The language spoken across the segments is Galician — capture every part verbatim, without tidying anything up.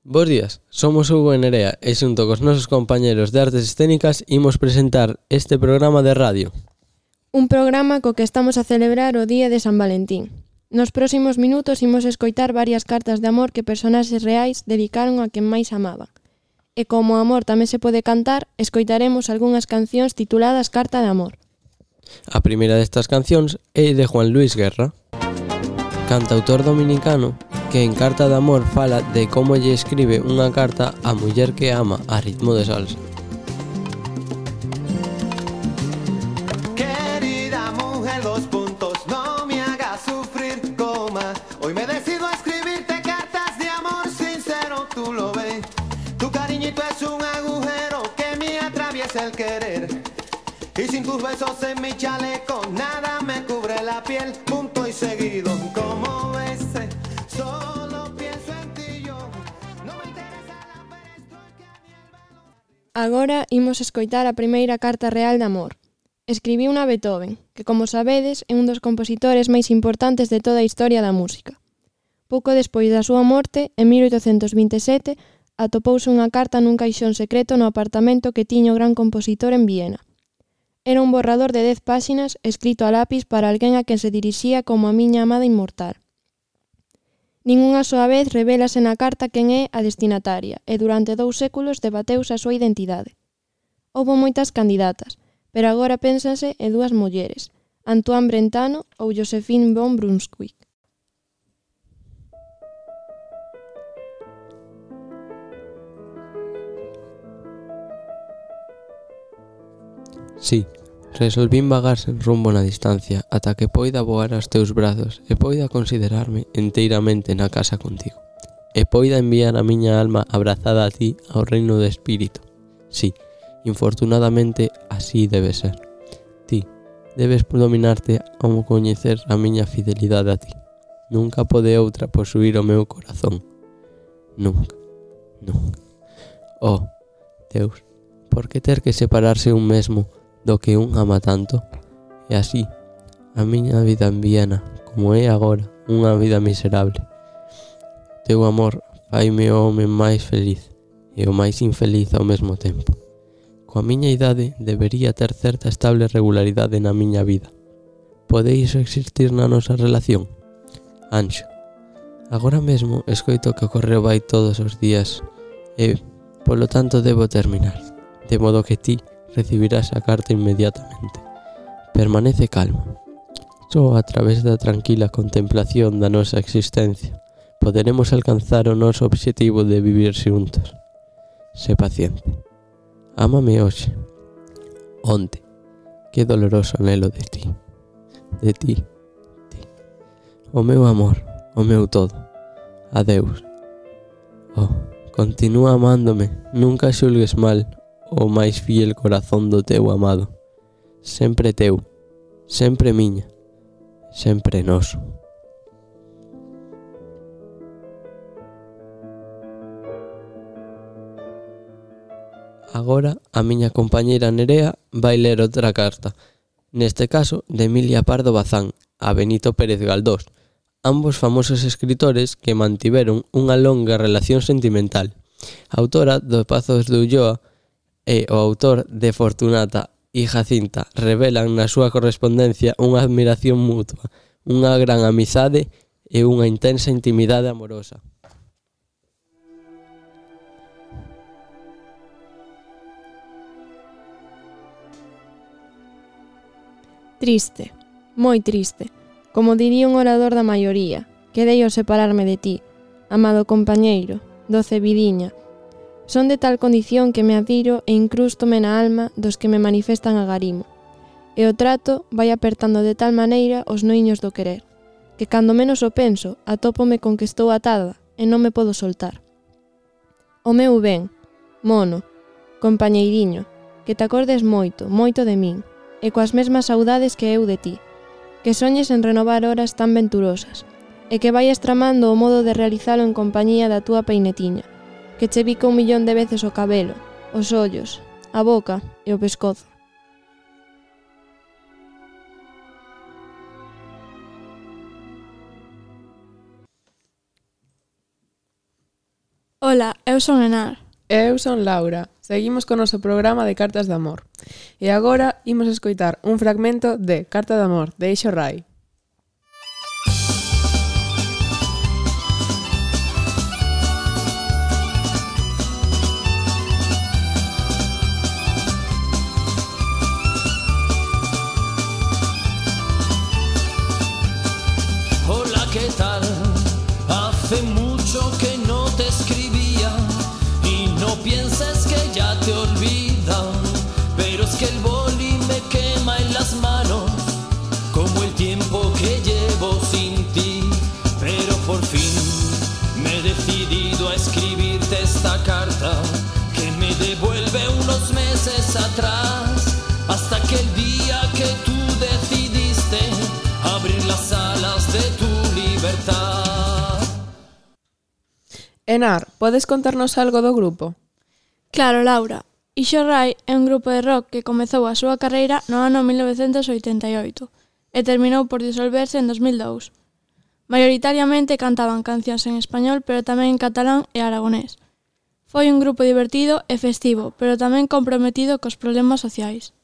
Bos días, somos Hugo e Nerea e xunto cos nosos compañeros de Artes Escénicas imos presentar este programa de radio. Un programa co que estamos a celebrar o Día de San Valentín. Nos próximos minutos imos escoitar varias cartas de amor que personaxes reais dedicaron a quen máis amaban. E como o amor tamén se pode cantar, escoitaremos algunhas cancións tituladas Carta de Amor. A primeira destas cancións é de Juan Luis Guerra, cantautor dominicano que en Carta de Amor fala de como lle escribe unha carta á muller que ama a ritmo de salsa. Querida mujer, dos puntos, no me hagas sufrir, coma. Hoy me decido a escribirte cartas de amor sincero, tú lo ves. Tu cariñito es un agujero que me atraviesa el querer. Y sin tus besos en mi chaleco, nada me cubre la piel, punto y seguido, como ves. Agora imos escoitar a primeira carta real de amor. Escribiu a Beethoven, que como sabedes é un dos compositores máis importantes de toda a historia da música. Pouco despois da súa morte, en mil oitocentos vinte e sete, atopouse unha carta nun caixón secreto no apartamento que tiña o gran compositor en Viena. Era un borrador de dez páxinas escrito a lápis para alguén a quen se dirixía como a miña amada inmortal. Ningunha soa vez revélase na carta quen é a destinataria e durante dous séculos debateuse a súa identidade. Houbo moitas candidatas, pero agora pénsanse en dúas mulleres, Antoine Brentano ou Josephine von Brunswick. Sí, resolvín vagar sen rumbo na distancia ata que poida voar aos teus brazos e poida considerarme enteiramente na casa contigo. E poida enviar a miña alma abrazada a ti ao reino do espírito. Sí, infortunadamente así debe ser. Ti debes dominarte ao coñecer a miña fidelidade a ti. Nunca pode outra posuir o meu corazón. Nunca, nunca. Oh, Deus, por que ter que separarse un mesmo do que un ama tanto? E así, a miña vida en Viena, como é agora, unha vida miserable. Teu amor faime o home máis feliz e o máis infeliz ao mesmo tempo. Coa miña idade debería ter certa estable regularidade na miña vida. Pode iso existir na nosa relación? Anxo, agora mesmo escoito que o correo vai todos os días e, polo tanto, debo terminar, de modo que ti recibirás a carta inmediatamente. Permanece calmo. Só a través da tranquila contemplación da nosa existencia poderemos alcanzar o noso obxectivo de vivir xuntos. Sé paciente. Ámame hoxe. Onte. Que doloroso anhelo de ti. De ti. Ti. O meu amor. O meu todo. Adeus. Oh, continúa amándome. Nunca xulgues mal o máis fiel corazón do teu amado. Sempre teu, sempre miña, sempre noso. Agora a miña compañeira Nerea vai ler outra carta, neste caso de Emilia Pardo Bazán, a Benito Pérez Galdós, ambos famosos escritores que mantiveron unha longa relación sentimental. Autora do Pazos de Ulloa e o autor de Fortunata e Jacinta revelan na súa correspondencia unha admiración mutua, unha gran amizade e unha intensa intimidade amorosa. Triste, moi triste, como diría un orador da maioría, quedei ao separarme de ti, amado compañeiro, doce vidiña. Son de tal condición que me adiro e incrústome na alma dos que me manifestan agarimo. E o trato vai apertando de tal maneira os noiños do querer, que cando menos o penso, atópome con que estou atada e non me podo soltar. O meu ben, mono, compañeiriño, que te acordes moito, moito de min, e coas mesmas saudades que eu de ti, que soñes en renovar horas tan venturosas, e que vaias tramando o modo de realizalo en compañía da túa peinetiña, que che bica un millón de veces o cabelo, os ollos, a boca e o pescozo. Ola, eu son Enar. Eu son Laura. Seguimos con o noso programa de Cartas de Amor. E agora imos escoitar un fragmento de Carta de Amor, de Eixo Rai. Hola, ¿qué tal? Hace mucho que no te escribía y no pienses que ya te olvida, pero es que el boli me quema en las manos como el tiempo que llevo sin ti. Pero por fin me he decidido a escribirte esta carta que me devuelve unos meses atrás, hasta que el día que tú decidiste abrir las alas de tu libertad. Enar, podes contarnos algo do grupo? Claro, Laura. Eixo Rai é un grupo de rock que comezou a súa carreira no ano mil novecentos oitenta e oito e terminou por disolverse en dos mil dous. Maioritariamente cantaban cancións en español, pero tamén en catalán e aragonés. Foi un grupo divertido e festivo, pero tamén comprometido cos problemas sociais.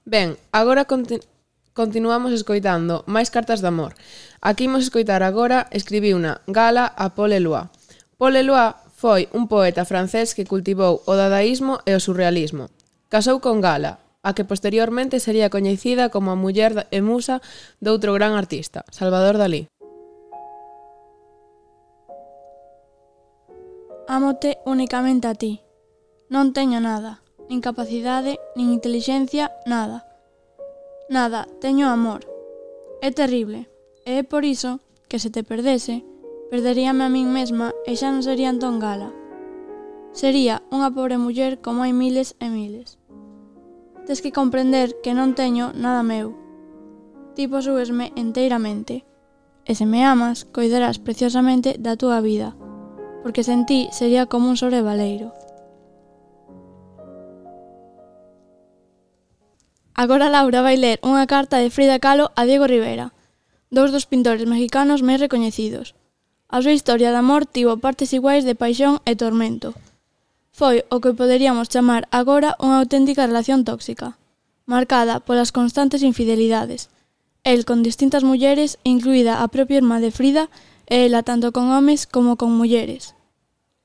Ben, agora continu continuamos escoitando máis cartas de amor. Aquí imos escoitar agora escribiuna Gala a Paul Eluard. Paul Eluard foi un poeta francés que cultivou o dadaísmo e o surrealismo. Casou con Gala, a que posteriormente sería coñecida como a muller e musa doutro gran artista, Salvador Dalí. Ámote únicamente a ti. Non teño nada, nin capacidade, nin intelixencia, nada. Nada, teño amor. É terrible, e é por iso que se te perdese, perderíame a min mesma e xa non sería entón Gala. Sería unha pobre muller como hai miles e miles. Tes que comprender que non teño nada meu. Ti posúesme enteiramente, e se me amas, coidarás preciosamente da túa vida, porque sen ti sería como un sobrevaleiro. Agora Laura vai ler unha carta de Frida Kahlo a Diego Rivera, dous dos pintores mexicanos máis recoñecidos. A súa historia de amor tivo partes iguais de paixón e tormento. Foi o que poderíamos chamar agora unha auténtica relación tóxica, marcada polas constantes infidelidades. El con distintas mulleres, incluída a propia irmá de Frida, e ela tanto con homes como con mulleres.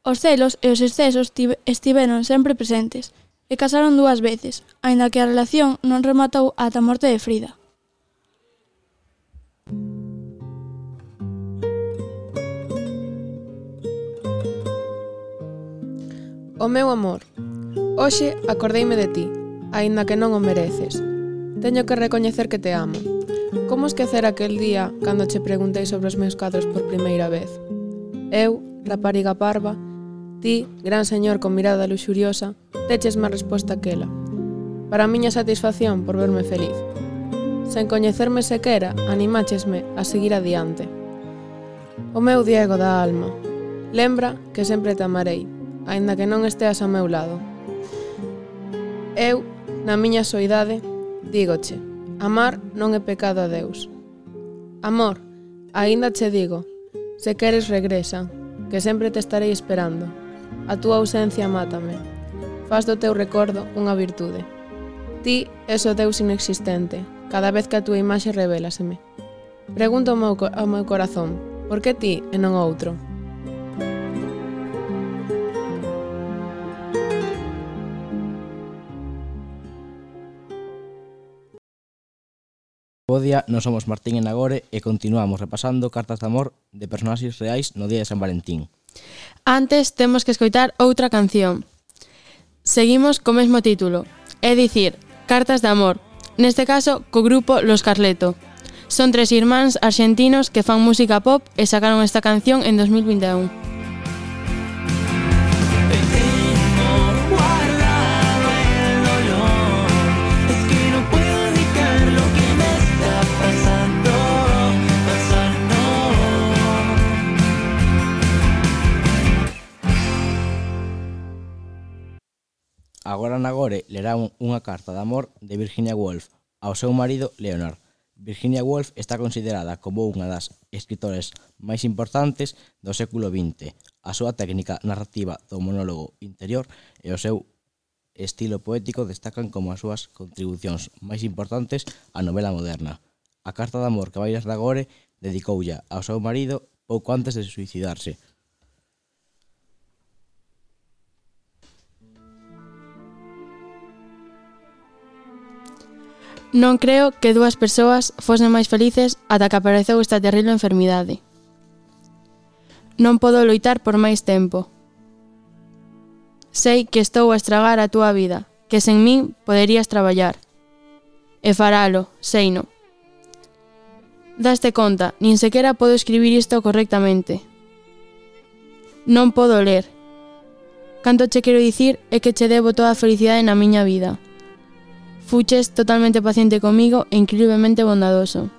Os celos e os excesos estiveron sempre presentes, e casaron dúas veces, aínda que a relación non rematou ata a morte de Frida. O meu amor, hoxe acordeime de ti, aínda que non o mereces. Teño que recoñecer que te amo. Como esquecer aquel día cando che preguntei sobre os meus cadros por primeira vez? Eu, rapariga parva, ti, gran señor con mirada luxuriosa, teches má resposta que ela. Para a miña satisfacción por verme feliz. Sen coñecerme sequera, animáchesme a seguir adiante. O meu Diego da alma, lembra que sempre te amarei, aínda que non esteas ao meu lado. Eu, na miña soidade, dígoche, amar non é pecado a Deus. Amor, aínda che digo, se queres regresa, que sempre te estarei esperando. A túa ausencia mátame. Faz do teu recordo unha virtude. Ti és o Deus inexistente, cada vez que a túa imaxe revélaseme. Pregunto ao meu, ao meu corazón, por que ti e non outro? Bo día, non somos Martín e Nagore e continuamos repasando cartas de amor de personaxes reais no día de San Valentín. Antes temos que escoitar outra canción. Seguimos co mesmo título, é dicir, Cartas de amor, neste caso co grupo Los Carleto. Son tres irmáns arxentinos que fan música pop e sacaron esta canción en dos mil vinte e un. Pasando, pasando Fran agora lerá un, unha carta de amor de Virginia Woolf ao seu marido Leonard. Virginia Woolf está considerada como unha das escritores máis importantes do século vinte. A súa técnica narrativa do monólogo interior e o seu estilo poético destacan como as súas contribucións máis importantes á novela moderna. A carta de amor que vai ler agora dedicoulla ao seu marido pouco antes de suicidarse. Non creo que dúas persoas fosen máis felices ata que apareceu esta terrible enfermidade. Non podo loitar por máis tempo. Sei que estou a estragar a túa vida, que sen min poderías traballar. E faralo, seino. Daste conta, nin sequera podo escribir isto correctamente. Non podo ler. Canto che quero dicir é que che debo toda a felicidade na miña vida. Fuches totalmente paciente comigo e increíblemente bondadoso.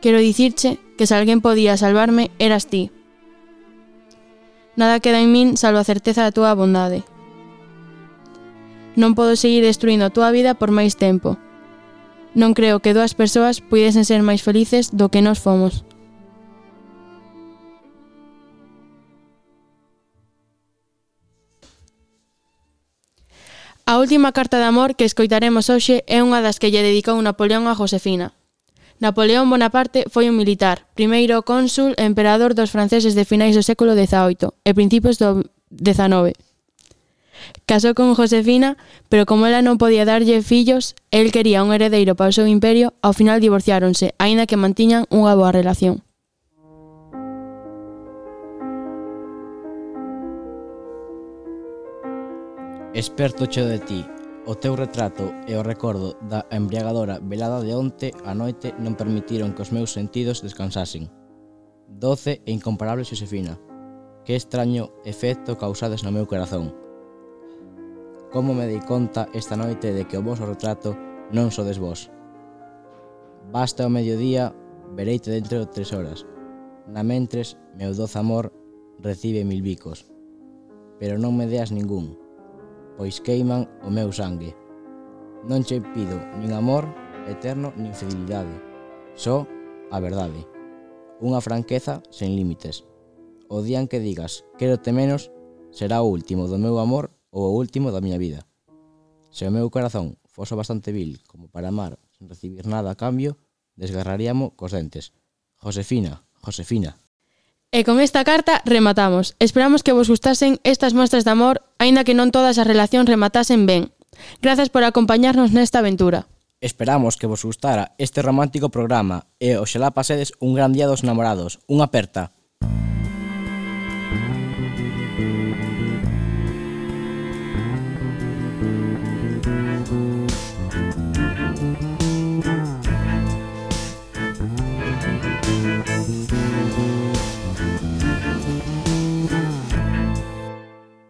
Quero dicirche que se alguén podía salvarme, eras ti. Nada queda en min salvo a certeza da túa bondade. Non podo seguir destruindo a túa vida por máis tempo. Non creo que dúas persoas puidesen ser máis felices do que nós fomos. A última carta de amor que escoitaremos hoxe é unha das que lle dedicou Napoleón a Josefina. Napoleón Bonaparte foi un militar, primeiro cónsul e emperador dos franceses de finais do século dezaoito e principios do dezanove. Casou con Josefina, pero como ela non podía darlle fillos, el quería un heredeiro para o seu imperio, ao final divorciáronse, aínda que mantiñan unha boa relación. Esperto cheo de ti, o teu retrato e o recordo da embriagadora velada de onte a noite non permitiron que os meus sentidos descansasen. Doce e incomparable Xosefina, que extraño efecto causades no meu corazón. Como me dei conta esta noite de que o voso retrato non sodes vos. Basta o mediodía, vereite dentro de tres horas. Na mentres, meu doce amor recibe mil bicos. Pero non me deas ningún, pois queiman o meu sangue. Non che pido nin amor eterno nin fidelidade, só a verdade. Unha franqueza sen límites. O día en que digas quérote menos será o último do meu amor ou o último da miña vida. Se o meu corazón fose bastante vil como para amar sen recibir nada a cambio, desgarraríamo cos dentes. Josefina, Josefina. E con esta carta rematamos. Esperamos que vos gustasen estas mostras de amor, aínda que non todas as relacións rematasen ben. Grazas por acompañarnos nesta aventura. Esperamos que vos gustara este romántico programa e oxalá pasedes un gran día dos namorados. Unha aperta.